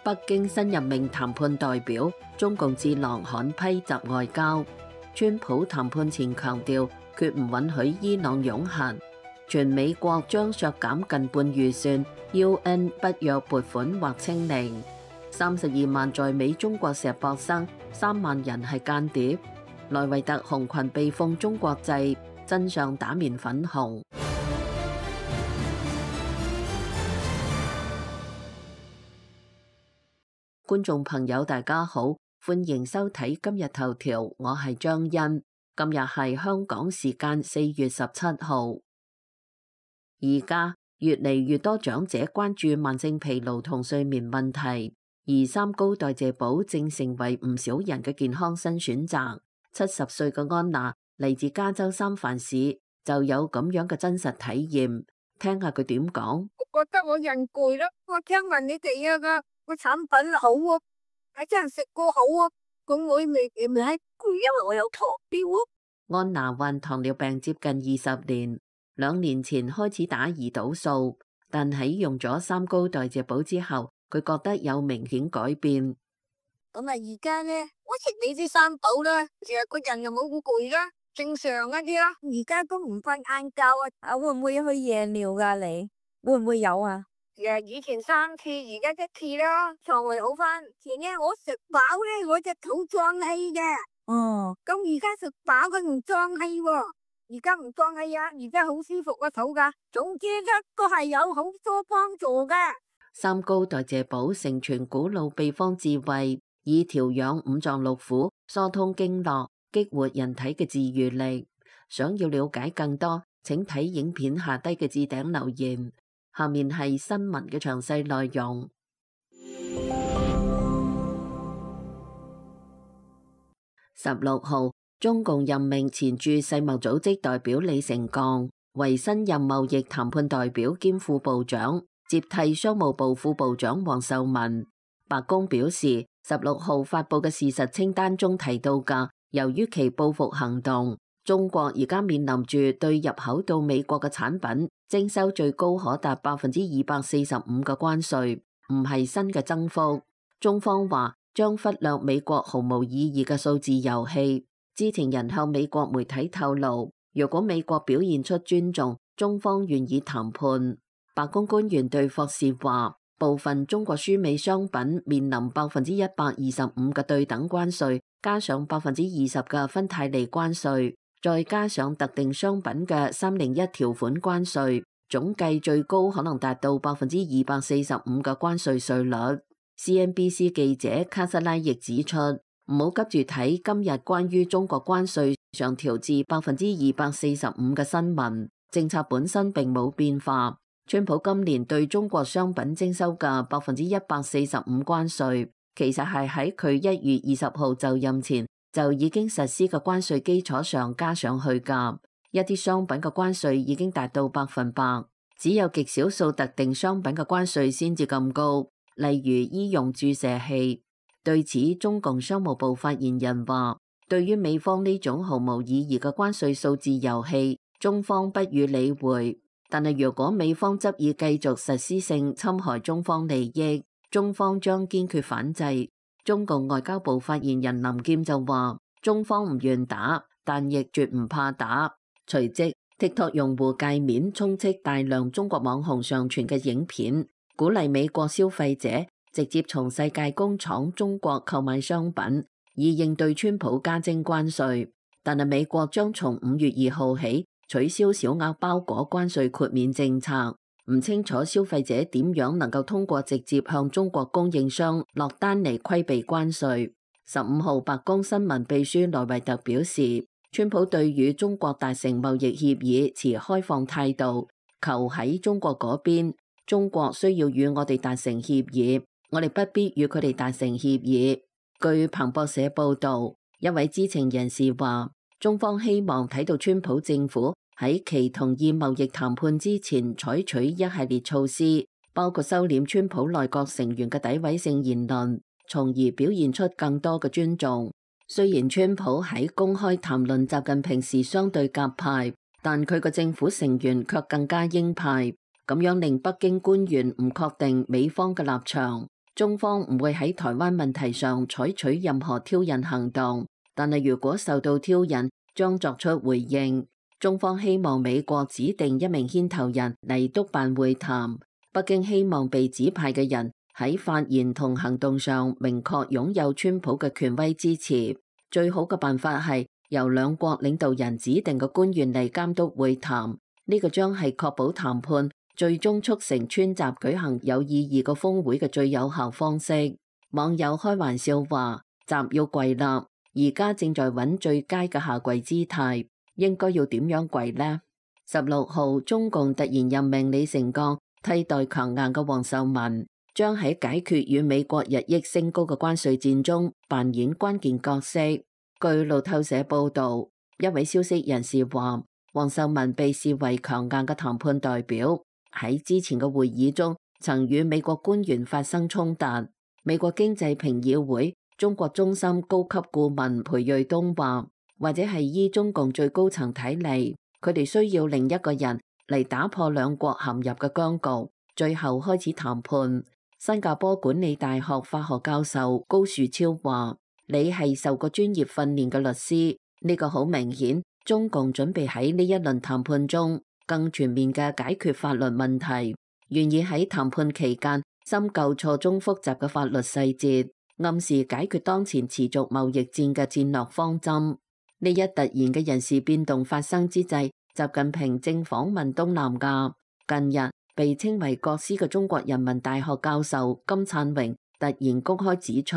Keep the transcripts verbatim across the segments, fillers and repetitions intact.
北京新任命談判代表，中共智囊罕批襲外交。川普談判前強調，決唔允許伊朗擁核。全美國將削減近半預算 ，U N 北約撥款或清零。三十二萬在美中國碩博生，三萬人係間諜。萊維特紅裙被奉中國祭，真相打面粉紅。觀眾朋友大家好，歡迎收睇今日頭條，我係張欣。今日係香港時間四月十七號。而家越嚟越多長者關注慢性疲勞同睡眠問題，而三高代謝寶正成為唔少人嘅健康新選擇。七十歲嘅安娜嚟自加州三藩市，就有咁樣嘅真實體驗，聽下佢點講。我覺得我人攰啦，我聽聞你哋啊個個產品好啊，係真係食過好啊，咁我未唔係攰，因為我有糖尿啊。安娜患糖尿病接近二十年，兩年前開始打胰島素，但喺用咗三高代謝寶之後，佢覺得有明顯改變。咁啊，而家咧，我食你啲三寶啦，成日個人又冇咁攰啦，正常一啲啦。而家都唔瞓晏覺啊，啊會唔會去夜尿噶？你會唔會有啊？誒，以前三次，而家一次啦，腸胃好翻。前日我食飽咧，我隻肚脹氣嘅。哦，咁而家食飽佢唔脹氣喎，而家唔脹氣啊，而家好舒服個肚噶。總之一個係有好多幫助噶。三高代謝寶承傳古老秘方智慧，以調養五臟六腑、疏通經絡、激活人體嘅自癒力。想要了解更多，請睇影片下低嘅置頂留言。下面係新聞嘅詳細內容。十六號，中共任命前駐世貿組織代表李成鋼為新任貿易談判代表兼副部長，接替商務部副部長王受文。白宮表示，十六號發佈嘅事實清單中提到嘅，由於其報復行動，中國而家面臨住對入口到美國嘅產品徵收最高可達百分之二百四十五嘅關稅，唔係新嘅增幅。中方話將忽略美國毫無意義嘅數字遊戲。知情人向美國媒體透露，若果美國表現出尊重，中方願意談判。白宮官員對霍士話，部分中國輸美商品面臨百分之一百二十五嘅對等關稅，加上百分之二十嘅芬太尼關稅，再加上特定商品嘅三零一條款關稅，總計最高可能達到百分之二百四十五嘅關稅稅率。C N B C 記者卡薩拉亦指出，唔好急住睇今日關於中國關稅上調至百分之二百四十五嘅新聞，政策本身並冇變化。川普今年對中國商品徵收嘅百分之一百四十五關稅，其實係喺佢一月二十號就任前就已經實施嘅關稅基礎上加上去㗎。一啲商品嘅關稅已經達到百分百，只有極少數特定商品嘅關稅先至咁高，例如醫用注射器。對此，中共商務部發言人話，對於美方呢種毫無意義嘅關稅數字遊戲，中方不予理會。但係如果美方執意繼續實施性侵害中方利益，中方將堅決反制。中共外交部發言人林劍就話，中方唔願打，但亦絕唔怕打。隨即 TikTok 用戶界面充斥大量中國網紅上傳嘅影片，鼓勵美國消費者直接從世界工廠中國購買商品，以應對川普加徵關稅。但係美國將從五月二號起取消小額包裹關稅豁免政策，唔清楚消費者點樣能夠通過直接向中國供應商落單嚟規避關稅。十五號白宮新聞秘書萊維特表示，川普對與中國達成貿易協議持開放態度，求喺中國嗰邊，中國需要與我哋達成協議，我哋不必與佢哋達成協議。據彭博社報道，一位知情人士話，中方希望睇到川普政府喺其同意貿易談判之前採取一系列措施，包括收斂川普內閣成員嘅詆毀性言論，從而表現出更多嘅尊重。雖然川普喺公開談論習近平時相對鴿派，但佢嘅政府成員卻更加鷹派，咁樣令北京官員唔確定美方嘅立場。中方唔會喺台灣問題上採取任何挑釁行動，但係如果受到挑釁，將作出回應。中方希望美國指定一名牽頭人嚟督辦會談，北京希望被指派嘅人喺發言同行動上明確擁有川普嘅權威支持。最好嘅辦法係由兩國領導人指定嘅官員嚟監督會談，呢個將係確保談判最終促成川習舉行有意義嘅峰會嘅最有效方式。網友開玩笑話：習要跪啦，而家正在揾最佳嘅下跪姿態，應該要點樣跪呢？十六號，中共突然任命李成鋼替代強硬嘅王受文，將喺解決與美國日益升高嘅關稅戰中扮演關鍵角色。據路透社報導，一位消息人士話，王受文被視為強硬嘅談判代表。喺之前嘅會議中，曾與美國官員發生衝突。美國經濟評議會中國中心高級顧問裴瑞東話，或者係依中共最高層睇嚟，佢哋需要另一個人嚟打破兩國陷入嘅僵局，最後開始談判。新加坡管理大學法學教授高樹超話，你係受過專業訓練嘅律師，呢個好明顯，中共準備喺呢一輪談判中更全面嘅解決法律問題，願意喺談判期間深究錯綜複雜嘅法律細節，暗示解決當前持續貿易戰嘅戰略方針。呢一突然嘅人事變動發生之際，習近平正訪問東南亞。近日被稱為國師嘅中國人民大學教授金燦榮突然公開指出，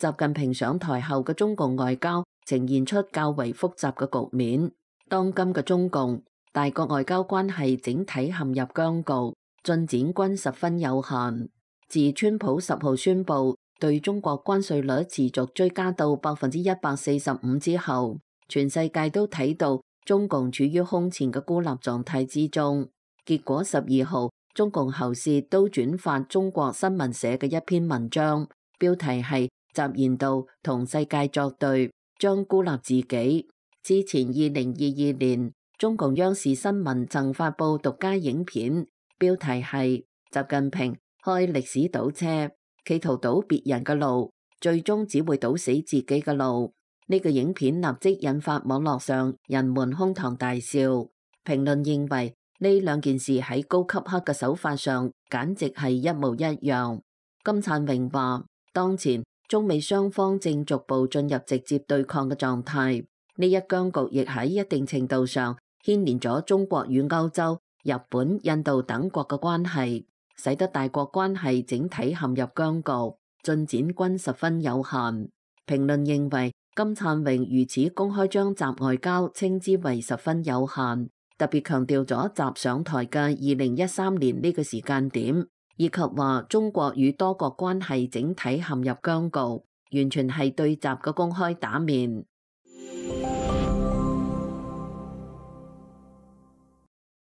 習近平上台後嘅中共外交呈現出較為複雜嘅局面。當今嘅中共大國外交關係整體陷入僵局，進展均十分有限。自川普十號宣布對中國關稅率持續追加到百分之一百四十五之後，全世界都睇到中共處於空前嘅孤立狀態之中。結果十二號，中共喉舌都轉發中國新聞社嘅一篇文章，標題係習言道同世界作對，將孤立自己。之前二零二二年，中共央視新聞曾發布獨家影片，標題係習近平開歷史倒車，企圖堵別人嘅路，最終只會堵死自己嘅路。呢個影片立即引發網絡上人們哄堂大笑。評論認為呢兩件事喺高級黑嘅手法上簡直係一模一樣。金燦榮話，當前中美雙方正逐步進入直接對抗嘅狀態，呢一僵局亦喺一定程度上牽連咗中國與歐洲、日本、印度等國嘅關係，使得大國關係整體陷入僵局，進展均十分有限。評論認為，金燦榮如此公開將習外交稱之為十分有限，特別強調咗習上台嘅二零一三年呢個時間點，以及話中國與多國關係整體陷入僵局，完全係對習嘅公開打面。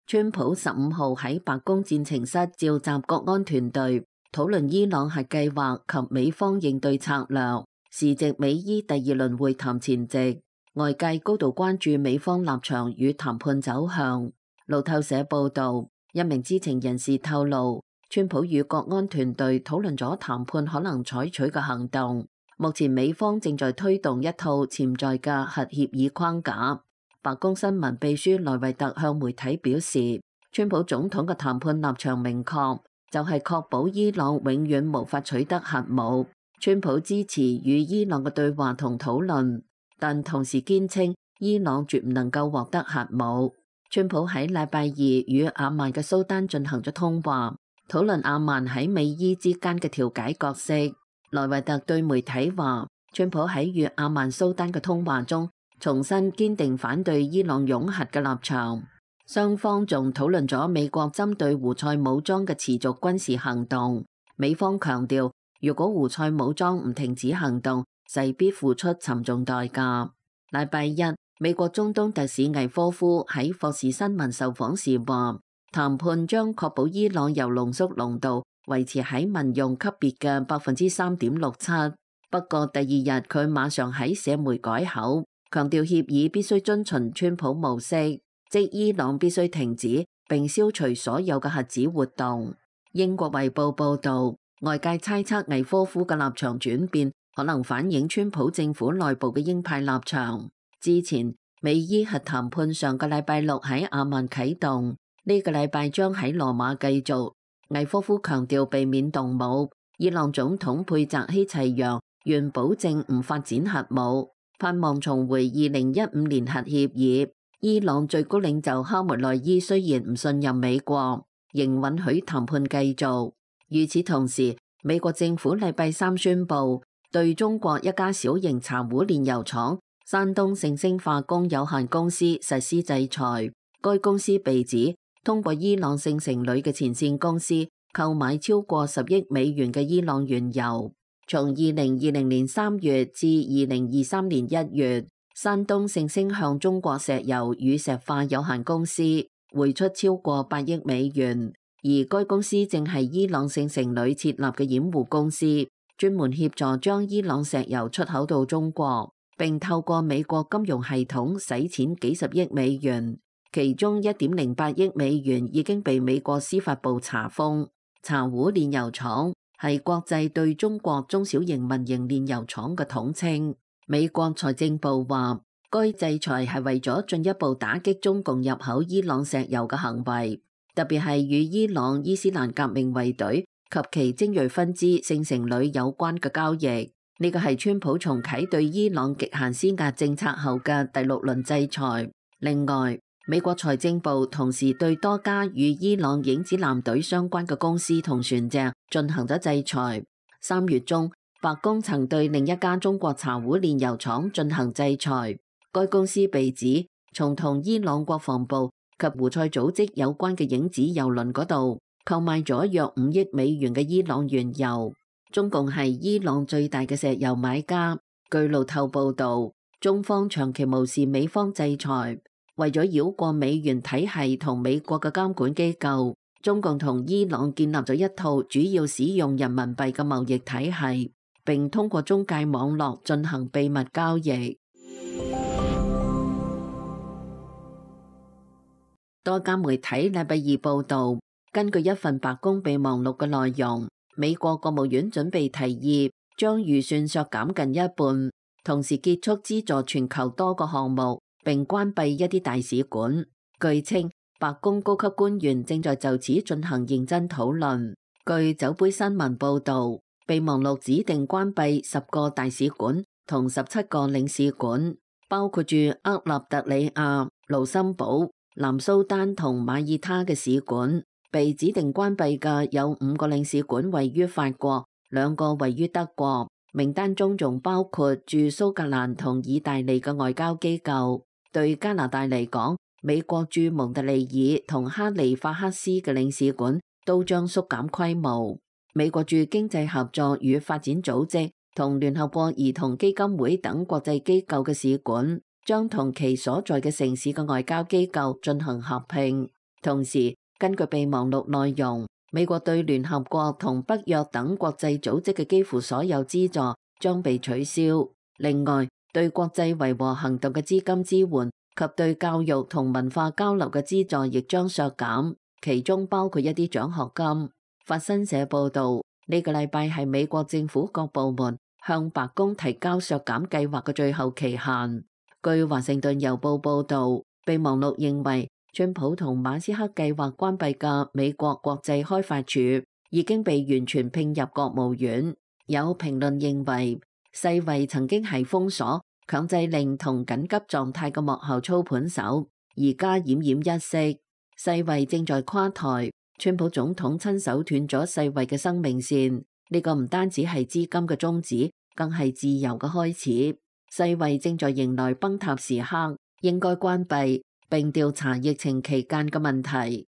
川普十五號喺白宮戰情室召集國安團隊，討論伊朗核計劃及美方應對策略。時值美伊第二輪會談前夕，外界高度關注美方立場與談判走向。路透社報道，一名知情人士透露，川普與國安團隊討論咗談判可能採取嘅行動。目前美方正在推動一套潛在嘅核協議框架。白宮新聞秘書萊維特向媒體表示，川普總統嘅談判立場明確，就係確保伊朗永遠無法取得核武。川普支持與伊朗嘅對話同討論，但同時堅稱伊朗絕唔能夠獲得核武。川普喺禮拜二與阿曼嘅蘇丹進行咗通話，討論阿曼喺美伊之間嘅調解角色。萊維特對媒體話，川普喺與阿曼蘇丹嘅通話中重申堅定反對伊朗擁核嘅立場。雙方仲討論咗美國針對胡塞武裝嘅持續軍事行動。美方強調，如果胡塞武裝唔停止行動，勢必付出沉重代價。禮拜一，美國中東特使魏科夫喺霍士新聞受訪時話，談判將確保伊朗由濃縮濃度維持喺民用級別嘅百分之三點六七。不過第二日佢馬上喺社媒改口，強調協議必須遵循川普模式，即伊朗必須停止並消除所有嘅核子活動。英國衛報報導，外界猜測魏科夫嘅立場轉變可能反映川普政府內部嘅鷹派立場。之前美伊核談判上個禮拜六喺阿曼啟動，呢、這個禮拜將喺羅馬繼續。魏科夫強調避免動武，伊朗總統佩澤希齊揚願保證唔發展核武，盼望重回二零一五年核協議。伊朗最高領袖哈梅內伊雖然唔信任美國，仍允許談判繼續。與此同時，美國政府禮拜三宣布對中國一家小型茶壺煉油廠山東盛星化工有限公司實施制裁。該公司被指通過伊朗聖城裏嘅前線公司購買超過十億美元嘅伊朗原油。從二零二零年三月至二零二三年一月，山東盛星向中國石油與石化有限公司匯出超過八億美元。而該公司正係伊朗聖城裏設立嘅掩護公司，專門協助將伊朗石油出口到中國，並透過美國金融系統洗錢幾十億美元。其中一點零八億美元已經被美國司法部查封。茶壺煉油廠係國際對中國中小型民營煉油廠嘅統稱。美國財政部話，該制裁係為咗進一步打擊中共入口伊朗石油嘅行為，特別係與伊朗伊斯蘭革命衛隊及其精銳分支聖城旅有關嘅交易。呢個係川普重啟對伊朗極限施壓政策後嘅第六輪制裁。另外，美國財政部同時對多家與伊朗影子艦隊相關嘅公司同船隻進行咗制裁。三月中，白宮曾對另一家中國茶壺煉油廠進行制裁。該公司被指從同伊朗國防部及胡塞組織有關嘅影子油輪嗰度購買咗約五億美元嘅伊朗原油。中共係伊朗最大嘅石油買家。據路透報道，中方長期無視美方制裁。為咗繞過美元體系同美國嘅監管機構，中共同伊朗建立咗一套主要使用人民幣嘅貿易體系，並通過中介網絡進行秘密交易。多家媒體禮拜二報道，根據一份白宮備忘錄嘅內容，美國國務院準備提議將預算削減近一半，同時結束資助全球多個項目，並關閉一啲大使館。據稱，白宮高級官員正在就此進行認真討論。據酒杯新聞報導，備忘錄指定關閉十個大使館同十七個領事館，包括住厄立特里亞、盧森堡、南蘇丹同馬耳他嘅使館。被指定關閉嘅有五個領事館位於法國，兩個位於德國。名單中仲包括駐蘇格蘭同意大利嘅外交機構。對加拿大嚟講，美國駐蒙特利爾同哈利法克斯嘅領事館都將縮減規模。美國駐經濟合作與發展組織同聯合國兒童基金會等國際機構嘅使館將同其所在嘅城市嘅外交機構進行合併。同時，根據備忘錄內容，美國對聯合國同北約等國際組織嘅幾乎所有資助將被取消。另外，對國際維和行動嘅資金支援及對教育同文化交流嘅資助亦將削減，其中包括一啲獎學金。法新社報導，呢個禮拜係美國政府各部門向白宮提交削減計劃嘅最後期限。據華盛頓郵報報導，備忘錄認為，川普同馬斯克計劃關閉嘅美國國際開發署已經被完全併入國務院。有評論認為，世衛曾經係封鎖、強制令同緊急狀態嘅幕後操盤手，而家奄奄一息。世衛正在垮台，川普總統親手斷咗世衛嘅生命線。呢個唔單止係資金嘅終止，更係自由嘅開始。世衛正在迎來崩塌時刻，應該關閉並調查疫情期間嘅問題。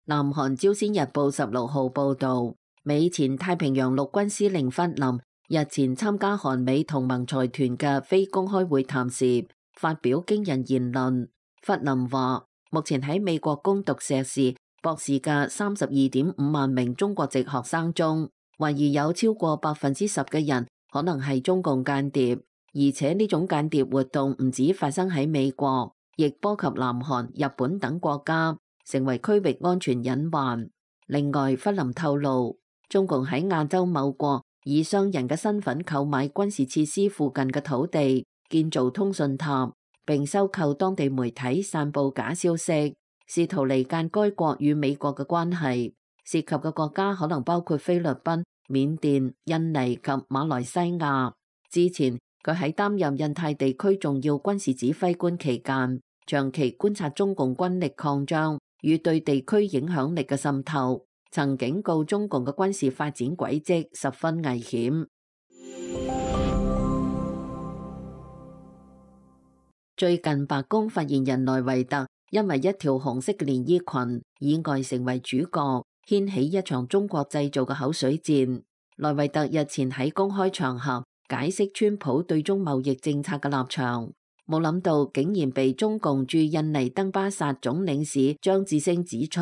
南韓朝鮮日報十六號報導，美前太平洋陸軍司令弗林日前參加韓美同盟財團嘅非公開會談時，發表驚人言論。弗林話：目前喺美國攻讀碩士、博士嘅三十二點五萬名中國籍學生中，懷疑有超過百分之十嘅人可能係中共間諜，而且呢種間諜活動唔止發生喺美國，亦波及南韓、日本等國家。成為區域安全隱患。另外，弗林透露，中共喺亞洲某國以商人嘅身份購買軍事設施附近嘅土地，建造通訊塔，並收購當地媒體散佈假消息，試圖離間該國與美國嘅關係。涉及嘅國家可能包括菲律賓、緬甸、印尼及馬來西亞。之前佢喺擔任印太地區重要軍事指揮官期間，長期觀察中共軍力擴張與對地區影響力嘅滲透，曾警告中共嘅軍事發展軌跡十分危險。最近白宮發言人萊維特因為一條紅色嘅連衣裙意外成為主角，掀起一場中國製造嘅口水戰。萊維特日前喺公開場合解釋川普對中貿易政策嘅立場，冇諗到竟然被中共駐印尼登巴薩總領事張志星指出，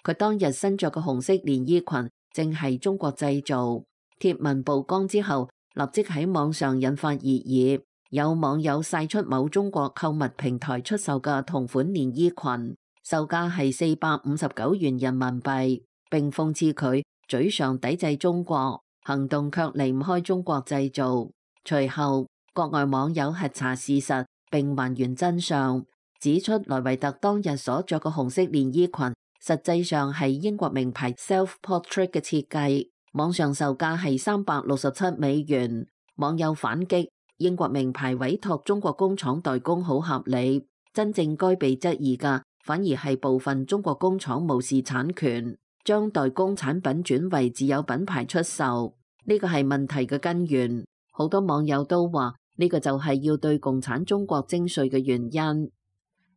佢當日身着嘅紅色連衣裙正係中國製造。貼文曝光之後，立即喺網上引發熱議。有網友晒出某中國購物平台出售嘅同款連衣裙，售價係四百五十九元人民幣，並諷刺佢嘴上抵制中國，行動卻離唔開中國製造。隨後，國外網友核查事實並還原真相，指出萊維特當日所着嘅紅色連衣裙實際上係英國名牌 Self Portrait 嘅設計，網上售價係三百六十七美元。網友反擊，英國名牌委託中國工廠代工好合理，真正該被質疑嘅反而係部分中國工廠無視產權，將代工產品轉為自有品牌出售，呢個係問題嘅根源。好多網友都話呢個就係要對共產中國徵稅嘅原因。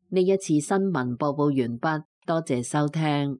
呢一次新聞播報完畢，多謝收聽。